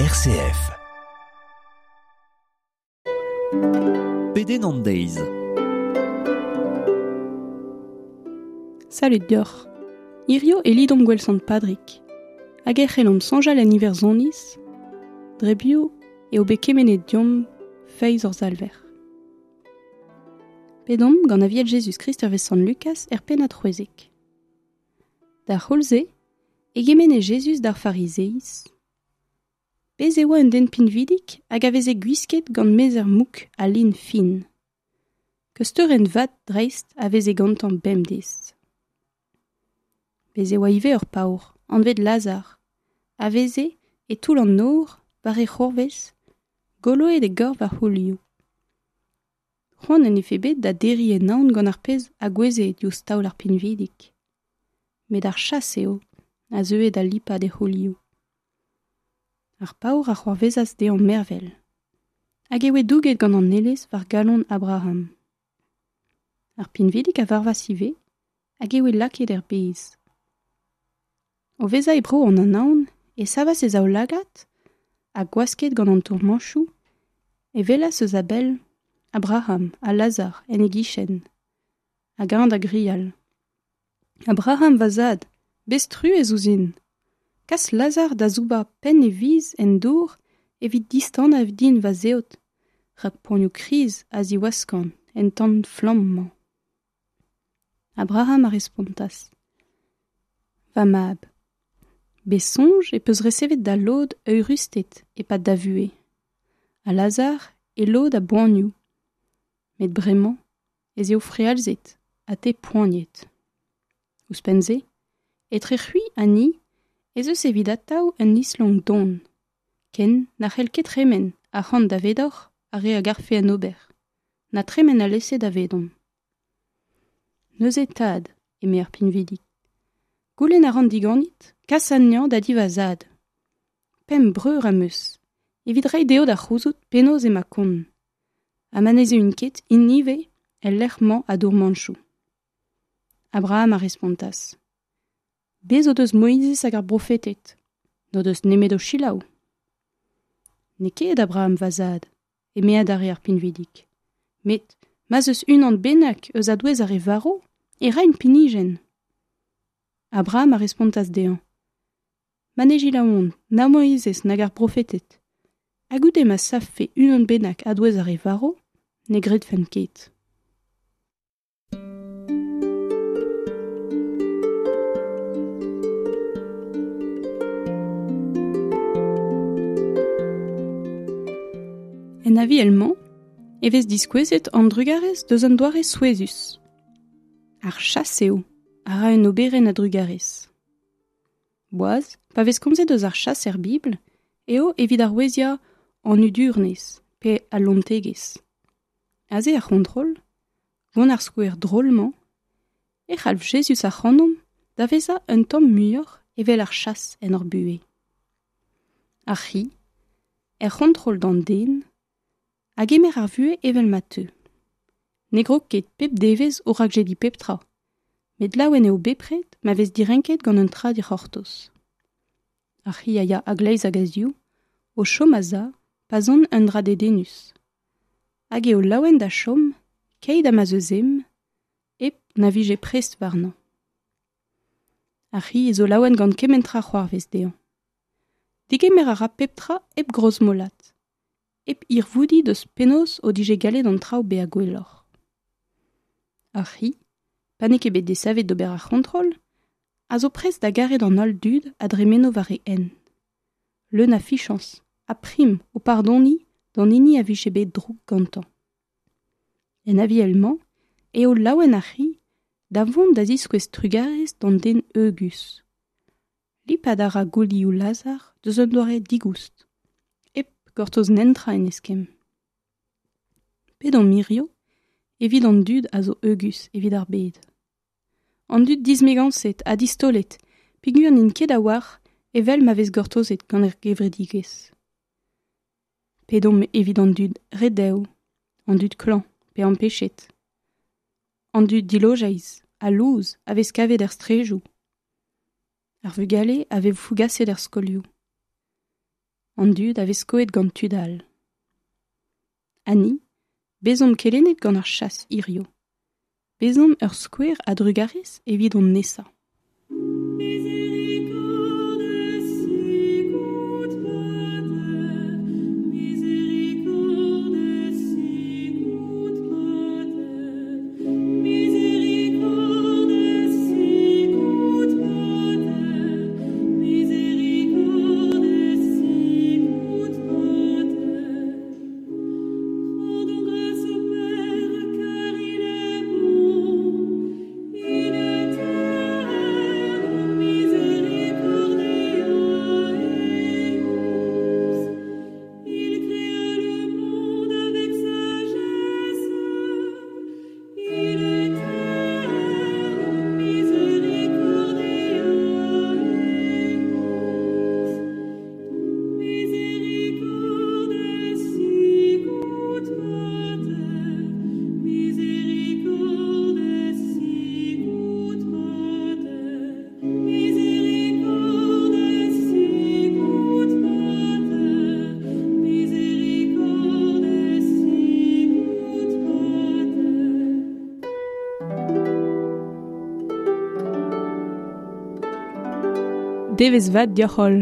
RCF. Pedenn an deiz. Salud deoc'h. Hirio e lidomp gwell sant Padrig. Hag e c'hellomp soñjal en Iwerzhoniz, dre biv eo bet kemennet deomp feiz hor Salver. Pedomp gant Aviel Jezuz-Krist hervez sant Lukaz er pennad 16. D'ar c'houlz-se e gemenne Jezuz d'ar Farizeiz. Bez' e oa un den pinvidik hag a veze gwisket gant mezher mouk ha lin fin. Keusteurenn vat dreist a veze gantañ bemdez. Bez' e oa ivez ur paour, anvet Lazar, a veze e toull an nor war e c'hourvez, goloet e gorf a c'houlioù. C'hoant en defe bet da derriñ e naon gant ar pezh a gouezhe diouzh taol ar pinvidig. Met ar chas eo a zeue da lipat e c'houlioù. Ar paour a c'hoarvezas dezhañ mervel, hag e oe douget gant an Aelez war galon Abraham. Ar pinvidig a varvas ivez hag e oe lakaet er bez. O vezañ e bro an Anaon e savas e zaoulagad ha gwasket gant an tourmanchoù e welas eus a-bell Abraham ha Lazar en e gichen, hag eñ da grial. Abraham, va zad, bez truez ouzhin. Kas Lazar da soubañ penn e viz en dour evit distanañ din va zeod, rak poanioù kriz a ziwaskan en tan flamm-mañ. Abraham a respontas. Va mab, bez soñj e peus resevet da lod eürusted e-pad da vuhez, ha Lazar e lod a boanioù, met bremañ ez eo frealzet ha te poaniet. Ouzhpenn-se, etre c'hwi ha ni ez eus evit atav un islonk don, ken na c'hell ket tremen ac'hann davedoc'h ar re a garfe en ober, na tremen alese davedomp. Neuze tad, eme ar pinvidig, goulenn a ran diganit kas anezhañ da di va zad. Pemp breur am eus, evit reiñ dezho da c'houzout penaos emañ kont, ha ma ne zeuint ket int ivez el lec'h-mañ a dourmanchoù. Abraham a respontas. Bez' o deus Moizez hag ar brofeted, n'o deus nemet o selaou. N'eo ket Abraham va zad, eme adarre ar pinvidig. Met ma'z eus unan bennak eus a-douez ar re varv, e raint pinijenn. Abraham a respontas dezhañ. Ma ne selaouont na Moizez nag ar brofeted, ha goude ma savfe unan bennak a-douez ar re varv, ne gredfent ket. En aviel-mañ e vez diskouezet an drugarez deus un doare souezhus. Ar chas eo a ra un oberenn a drugarez. Boaz, pa vez komzet eus ar chas er Bibl, eo evit aroueziañ an hudurnez pe al lontegezh. Aze ar c'hontrol, gant ar skouer drol-mañ, e c'halv Jezuz ac'hanomp da vezañ un tamm muioc'h evel ar chas en hor buhez. Ar c'hi, er c'hontrol d'an den, a gemer ar vuhez evel ma teu. Ne grog ket pep devezh o rakjediñ pep tra, met laouen eo bepred ma vez direnket gant un tra dic'hortoz. Ar c'hi a ya a-gleiz hag a-ziv, o chom a-za pa son un dra dedennus. Hag eo laouen da chom keit ha ma'z eus ezhomm, hep na vije prest warnañ. Ar c'hi zo laouen gant kement tra c'hoarvez dezhañ. Degemer a ra pep tra hep grozmolat, hep hirvoudiñ deus penaos o dije gallet an traoù bezañ gwelloc'h. Ar c'hi, pa n'eo ket bet desavet d'ober ar c'hontrol, a zo prest da garet an holl dud a dremeno war e hent. Leun a fichañs ha prim o pardoniñ d'an hini a vije bet drouk gantañ. En aviel-mañ eo laouen ar c'hi da vont da ziskouez trugarez d'an den heugus. Lipat a ra goulioù Lazar deus un doare digoust, hep gortoz netra en eskemm. Pedomp hirio evit an dud a zo heugus evit ar bed. An dud dismegañset ha distaolet peogwir n'int ket a-walc'h evel ma vez gortozet gant ar gevredigezh. Pedomp evit an dud redev, an dud klañv pe ampechet, an dud dilojeiz ha louz a vez kavet er straejoù, ar vugale a vez fougaset er skolioù. An dud a vez skoet gant tud all. Ha ni, bezomp kelennet gant ar chas hirio. Bezomp ur skouer a drugarez evit hon nesañ. Devezh vat deoc'h holl.